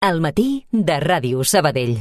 Al matí de Ràdio Sabadell.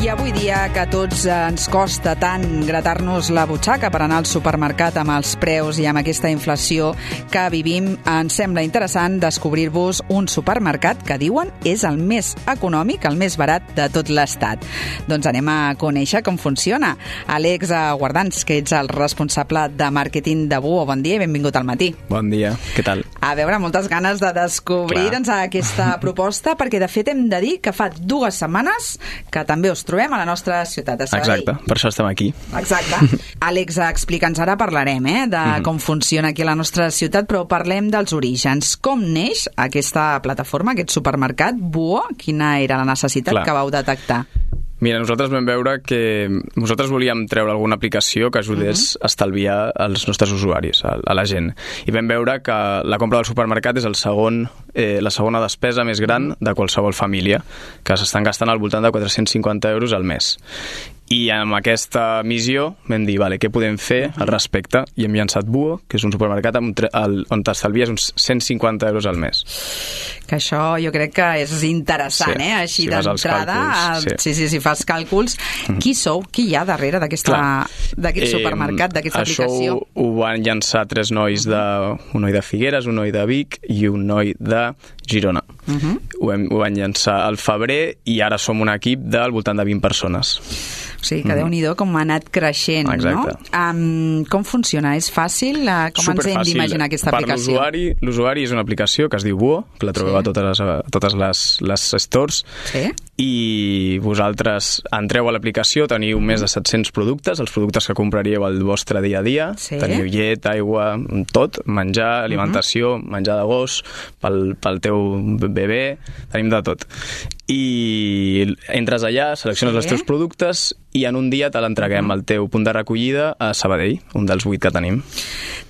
I avui dia que a tots ens costa tant gratar-nos la butxaca per anar al supermercat amb els preus i amb aquesta inflació que vivim, ens sembla interessant descobrir-vos un supermercat que diuen és el més econòmic, el més barat de tot l'estat. Doncs anem a conèixer com funciona. Àlex Guardans, que ets el responsable de màrqueting de Buo. Bon dia i benvingut al matí. Bon dia, què tal? A veure, moltes ganes de descobrir aquesta proposta, perquè de fet hem de dir que fa 2 setmanes que també us trobem a la nostra ciutat de Sabadell. Exacte, per això estem aquí. Exacte. Àlex, explica'ns, ara parlarem de com funciona aquí a la nostra ciutat, però parlem dels orígens. Com neix aquesta plataforma, aquest supermercat Buo? Quina era la necessitat que vau detectar? Mira, nosaltres vam veure que nosaltres volíem treure alguna aplicació que ajudés a estalviar als nostres usuaris, a la gent. I vam veure que la compra del supermercat és la segona despesa més gran de qualsevol família, que s'estan gastant al voltant de 450 euros al mes. I amb aquesta missió vam dir, què podem fer al respecte? I hem llançat Buo, que és un supermercat on t'estalvies uns 150 euros al mes. Que això jo crec que és interessant, així d'entrada. Si fas càlculs. Qui sou? Qui hi ha darrere d'aquest supermercat, d'aquesta aplicació? Això ho van llançar 3 nois, un noi de Figueres, un noi de Vic i un noi de Girona. Ho van llançar al febrer i ara som un equip del voltant de 20 persones. O sigui, que Déu-n'hi-do com ha anat creixent, no? Com funciona? És fàcil? Com ens hem d'imaginar aquesta aplicació? Per l'usuari és una aplicació que es diu Buo, que la trobeu a totes les stores, i vosaltres entreu a l'aplicació, teniu més de 700 productes, els productes que compraríeu al vostre dia a dia, teniu llet, aigua, tot, menjar, alimentació, menjar de gos, pel teu bebè, tenim de tot. I entres allà, selecciones els teus productes i en un dia te l'entreguem al teu punt de recollida a Sabadell, un dels 8 que tenim.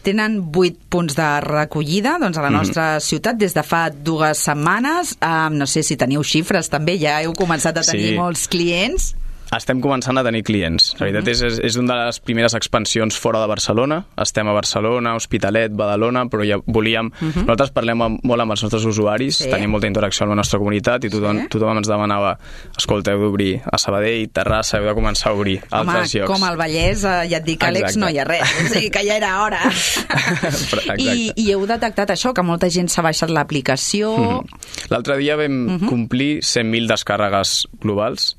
Tenen 8 punts de recollida a la nostra ciutat des de fa 2 setmanes. No sé si teniu xifres també, ja heu començat a tenir molts clients. Estem començant a tenir clients. La veritat és una de les primeres expansions fora de Barcelona. Estem a Barcelona, Hospitalet, Badalona, però ja volíem... Nosaltres parlem molt amb els nostres usuaris, tenim molta interacció amb la nostra comunitat i tothom ens demanava, escolta, heu d'obrir a Sabadell, Terrassa, heu de començar a obrir altres llocs. Com al Vallès, ja et dic, Àlex, no hi ha res. O sigui que ja era hora. I heu detectat això, que molta gent s'ha baixat l'aplicació. L'altre dia vam complir 100.000 descàrregues globals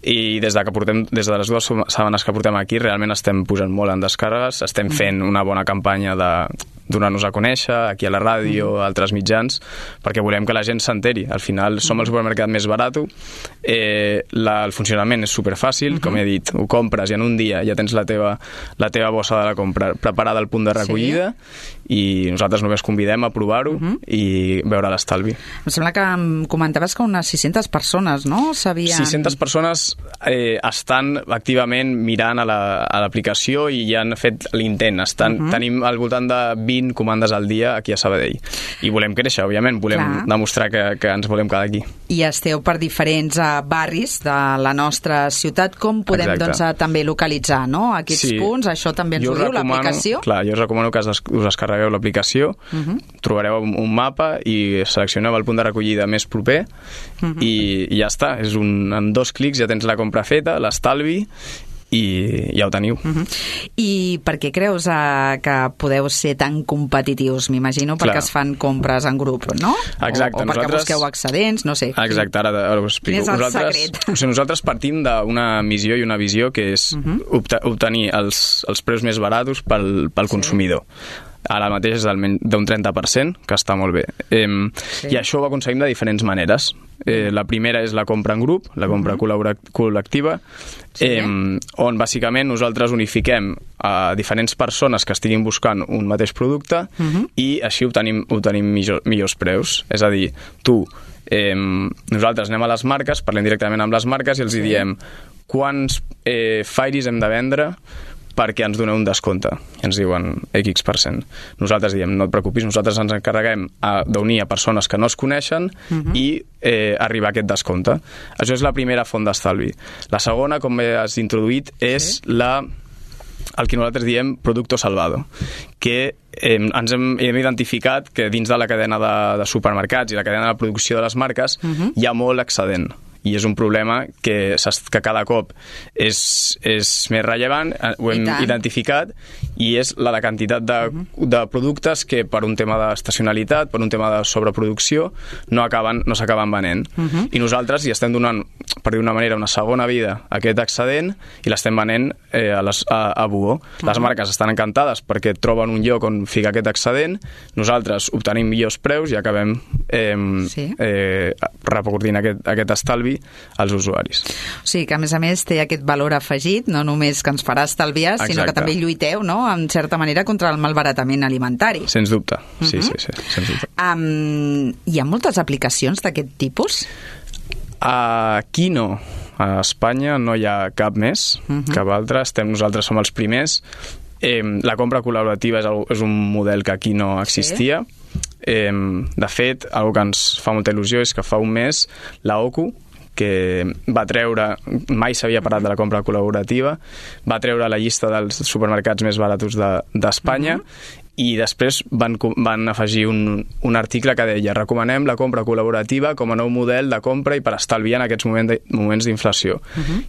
i des de les 2 setmanes que portem aquí realment estem pujant molt en descàrregues, estem fent una bona campanya de donar-nos a conèixer aquí a la ràdio, a altres mitjans, perquè volem que la gent s'enteri. Al final som el supermercat més barat, el funcionament és superfàcil, com he dit, ho compres i en un dia ja tens la teva bossa de la compra preparada al punt de recollida i nosaltres només convidem a provar-ho i veure l'estalvi. Em sembla que em comentaves que unes 600 persones, no? 600 persones estan activament mirant a l'aplicació i ja han fet l'intent. Tenim al voltant de 20 comandes al dia aquí a Sabadell. I volem créixer, òbviament. Volem demostrar que ens volem quedar aquí. I esteu per diferents barris de la nostra ciutat. Com podem també localitzar aquests punts? Això també ens ho diu l'aplicació? Clar, jo us recomano que us descarregueu l'aplicació, trobareu un mapa i seleccioneu el punt de recollida més proper i ja està. En 2 clics ja tens la compra feta, l'estalvi i ja ho teniu. I per què creus que podeu ser tan competitius? M'imagino perquè es fan compres en grup, no? Exacte. O perquè busqueu excedents, no sé. Exacte, ara ho explico. Quin és el secret? Nosaltres partim d'una missió i una visió que és obtenir els preus més barats pel consumidor. Ara mateix és d'un 30%, que està molt bé. I això ho aconseguim de diferents maneres. La primera és la compra en grup, la compra col·lectiva, on bàsicament nosaltres unifiquem a diferents persones que estiguin buscant un mateix producte i així obtenim millors preus. És a dir, nosaltres anem a les marques, parlem directament amb les marques i els diem quants Fairies hem de vendre perquè ens doneu un descompte. I ens diuen X%. Nosaltres diem, no et preocupis, nosaltres ens encarreguem d'unir a persones que no es coneixen i arribar a aquest descompte. Això és la primera font d'estalvi. La segona, com has introduït, és el que nosaltres diem producto salvado, que ens hem identificat que dins de la cadena de supermercats i la cadena de producció de les marques hi ha molt excedent. I és un problema que cada cop és més rellevant, ho hem identificat, i és la de quantitat de productes que per un tema d'estacionalitat, per un tema de sobreproducció, no s'acaben venent. I nosaltres hi estem donant, per dir una manera, una segona vida a aquest excedent i l'estem venent a Buo. Les marques estan encantades perquè troben un lloc on ficar aquest excedent, nosaltres obtenim millors preus i acabem repercutint aquest estalvi als usuaris. O sigui que, a més, té aquest valor afegit, no només que ens farà estalviar, sinó que també lluiteu, no?, en certa manera, contra el malbaratament alimentari. Sens dubte, sí, sens dubte. Hi ha moltes aplicacions d'aquest tipus? Aquí no. A Espanya no hi ha cap més, cap altre. Nosaltres som els primers. La compra col·laborativa és un model que aquí no existia. De fet, una que ens fa molta il·lusió és que fa un mes la OCU, que va treure, mai s'havia parlat de la compra col·laborativa, va treure la llista dels supermercats més baratos d'Espanya, i després van afegir un article que deia: recomanem la compra col·laborativa com a nou model de compra i per estalviar en aquests moments d'inflació.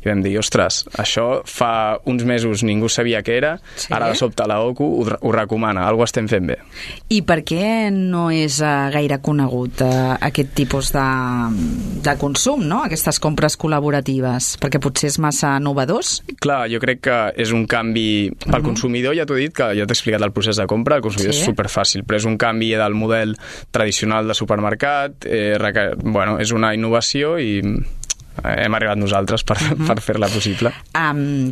I vam dir, ostres, això fa uns mesos ningú sabia què era, ara de sobte la OCU ho recomana, alguna cosa estem fent bé. I per què no és gaire conegut aquest tipus de consum, no?, aquestes compres col·laboratives? Perquè potser és massa novedós? Clar, jo crec que és un canvi pel consumidor. Ja t'ho he dit, que ja t'he explicat el procés de compra. El consumidor és superfàcil, però és un canvi del model tradicional de supermercat, és una innovació i hem arribat nosaltres per fer-la possible.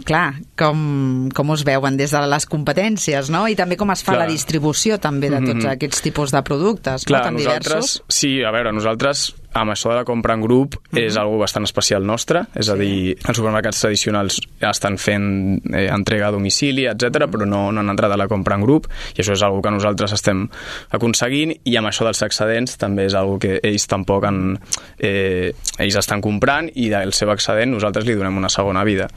Clar, com us veuen des de les competències, no? I també com es fa la distribució també de tots aquests tipus de productes, clar, tan diversos? Sí, a veure, nosaltres amb això de la compra en grup és algo bastant especial nostre, és a dir, els supermercats tradicionals estan fent entrega a domicili, etc, però no han entrat a la compra en grup, i això és algo que nosaltres estem aconseguint, i amb això dels excedents també és algo que ells tampoc ells estan comprant, i del seu excedent nosaltres li donem una segona vida.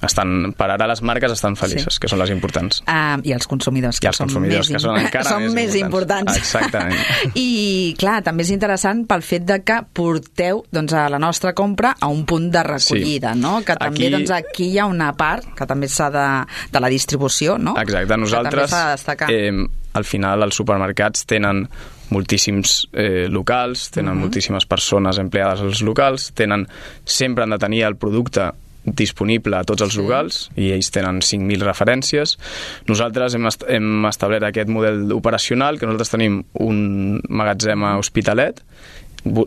Per ara les marques estan felices, que són les importants. I els consumidors, que són més importants. Exactament. I, clar, també és interessant pel fet de que porteu a la nostra compra a un punt de recollida, no? Que també aquí hi ha una part que també s'ha de la distribució, no? Exacte. Nosaltres, al final, els supermercats tenen moltíssims locals, tenen moltíssimes persones empleades als locals, sempre han de tenir el producte disponible a tots els locals, i ells tenen 5.000 referències. Nosaltres hem establert aquest model operacional, que nosaltres tenim un magatzem a Hospitalet,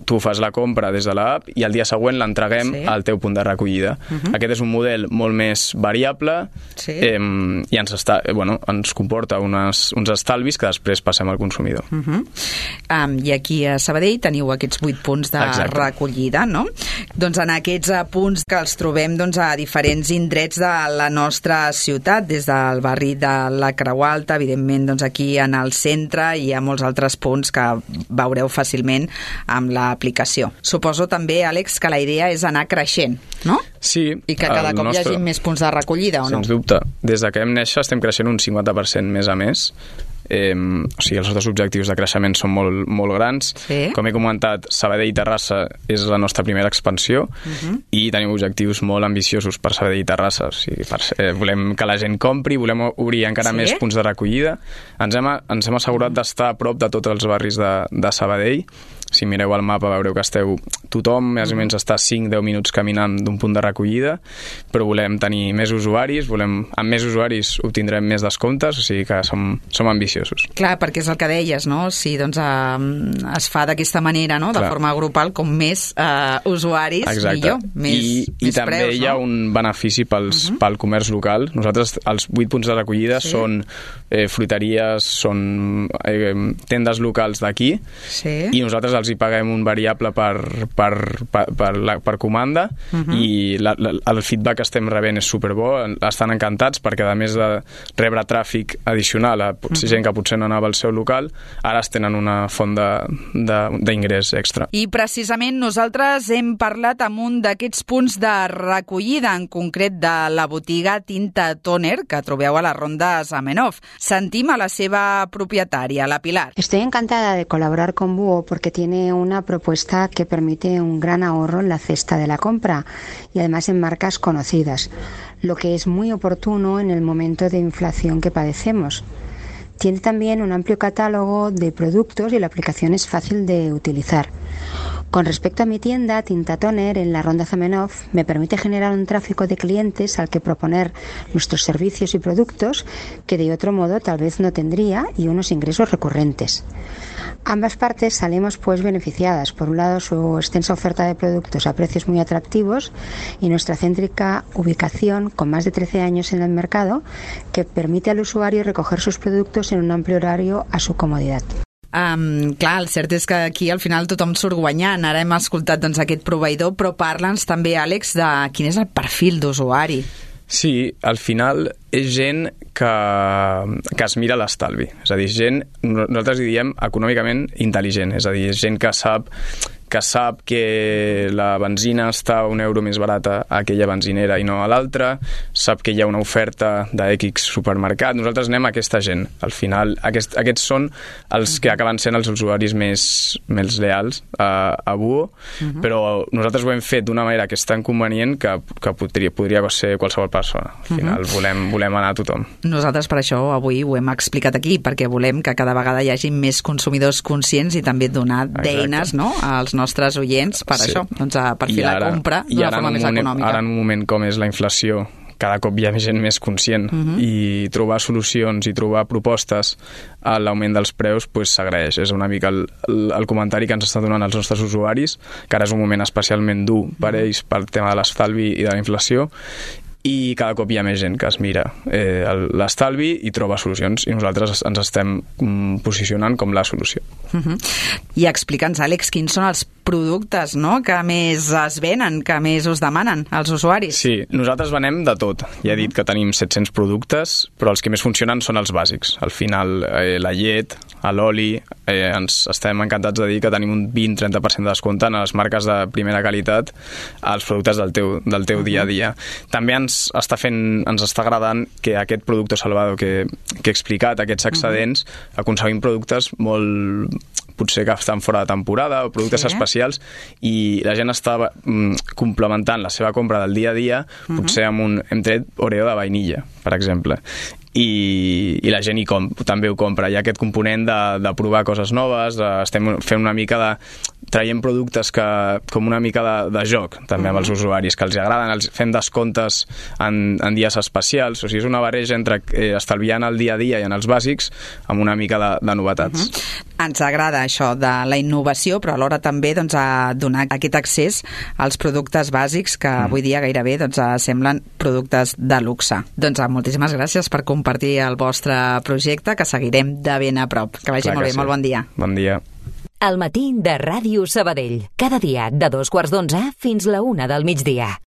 tu fas la compra des de l'app i el dia següent l'entreguem al teu punt de recollida. Aquest és un model molt més variable i ens comporta uns estalvis que després passem al consumidor. I aquí a Sabadell teniu aquests 8 punts de recollida, no? Doncs en aquests punts que els trobem a diferents indrets de la nostra ciutat, des del barri de la Creu Alta, evidentment aquí en el centre, i hi ha molts altres punts que veureu fàcilment amb l'aplicació. Suposo també, Àlex, que la idea és anar creixent, no? Sí. I que cada cop hi hagi més punts de recollida, o no? Sens dubte. Des que vam néixer estem creixent un 50% més a més. O sigui, els nostres objectius de creixement són molt, molt grans. Com he comentat, Sabadell i Terrassa és la nostra primera expansió, i tenim objectius molt ambiciosos per Sabadell i Terrassa. O sigui, volem que la gent compri, volem obrir encara més punts de recollida. Ens hem assegurat d'estar a prop de tots els barris de Sabadell. Si mireu el mapa veureu que tothom més o menys està 5-10 minuts caminant d'un punt de recollida, però volem tenir més usuaris, amb més usuaris obtindrem més descomptes, o sigui que som ambiciosos. Clar, perquè és el que deies, no? Si es fa d'aquesta manera, no? De forma grupal, com més usuaris, millor, més preus. I també hi ha un benefici pel comerç local. Nosaltres, els 8 punts de recollida són fruiteries, són tendes locals d'aquí, i nosaltres els hi paguem un variable per comanda, i el feedback que estem rebent és superbo, estan encantats perquè a més de rebre tràfic addicional a gent que potser no anava al seu local, ara es tenen una font d'ingrés extra. I precisament nosaltres hem parlat amb un d'aquests punts de recollida, en concret de la botiga Tinta Toner, que trobeu a la Ronda Zamenhof. Sentim a la seva propietària, la Pilar. Estoy encantada de colaborar con Búho porque tiene una propuesta que permite un gran ahorro en la cesta de la compra y además en marcas conocidas, lo que es muy oportuno en el momento de inflación que padecemos. Tiene también un amplio catálogo de productos y la aplicación es fácil de utilizar. Con respecto a mi tienda, Tinta Toner, en la Ronda Zamenhof, me permite generar un tráfico de clientes al que proponer nuestros servicios y productos que de otro modo tal vez no tendría y unos ingresos recurrentes. Ambas partes salimos pues beneficiadas. Por un lado, su extensa oferta de productos a precios muy atractivos y nuestra céntrica ubicación con más de 13 años en el mercado que permite al usuario recoger sus productos en un amplio horario a su comodidad. Clar, el cert és que aquí al final tothom surt guanyant. Ara hem escoltat aquest proveïdor, però parla'ns també, Àlex, de quin és el perfil d'usuari. Sí, al final és gent que es mira l'estalvi. És a dir, gent, nosaltres hi diem econòmicament intel·ligent, és a dir, gent que sap que la benzina està a €1 més barata a aquella benzinera i no a l'altra, sap que hi ha una oferta d'X supermercat. Nosaltres anem a aquesta gent. Al final, aquests són els que acaben sent els usuaris més leals a Búho, però nosaltres ho hem fet d'una manera que és tan convenient que podria ser qualsevol persona. Al final volem anar a tothom. Nosaltres per això avui ho hem explicat aquí, perquè volem que cada vegada hi hagi més consumidors conscients i també donar d'eines, no?, als nostres oients per això, doncs per fer la compra d'una forma més econòmica. Ara en un moment com és la inflació, cada cop hi ha gent més conscient i trobar solucions i trobar propostes a l'augment dels preus s'agraeix. És una mica el comentari que ens estan donant els nostres usuaris, que ara és un moment especialment dur per ells pel tema de l'estalvi i de la inflació, i cada cop hi ha més gent que es mira l'estalvi i troba solucions, i nosaltres ens estem posicionant com la solució. I explica'ns, Àlex, quins són els productes, no?, que més es venen, que més us demanen els usuaris. Sí, nosaltres venem de tot. Ja he dit que tenim 700 productes, però els que més funcionen són els bàsics. Al final, la llet, l'oli, ens estem encantats de dir que tenim un 20-30% de descompte en les marques de primera qualitat als productes del teu dia a dia. També ens està agradant que aquest producte Salvador que he explicat, aquests excedents, aconseguim productes molt potser que estan fora de temporada o productes especials, i la gent està complementant la seva compra del dia a dia, potser hem tret Oreo de vainilla, per exemple, i la gent també ho compra. Hi ha aquest component de provar coses noves, estem fent una mica de traient productes com una mica de joc també amb els usuaris, que els agraden, fem descomptes en dies especials, o sigui, és una barreja entre estalviant el dia a dia i en els bàsics amb una mica de novetats. Ens agrada això de la innovació, però alhora també donar aquest accés als productes bàsics que avui dia gairebé semblen productes de luxe. Doncs moltíssimes gràcies per compartir el vostre projecte, que seguirem de ben a prop. Que vagi molt bé, molt bon dia. Bon dia. El matí de Ràdio Sabadell. Cada dia de 2:15 fins la 1 del migdia.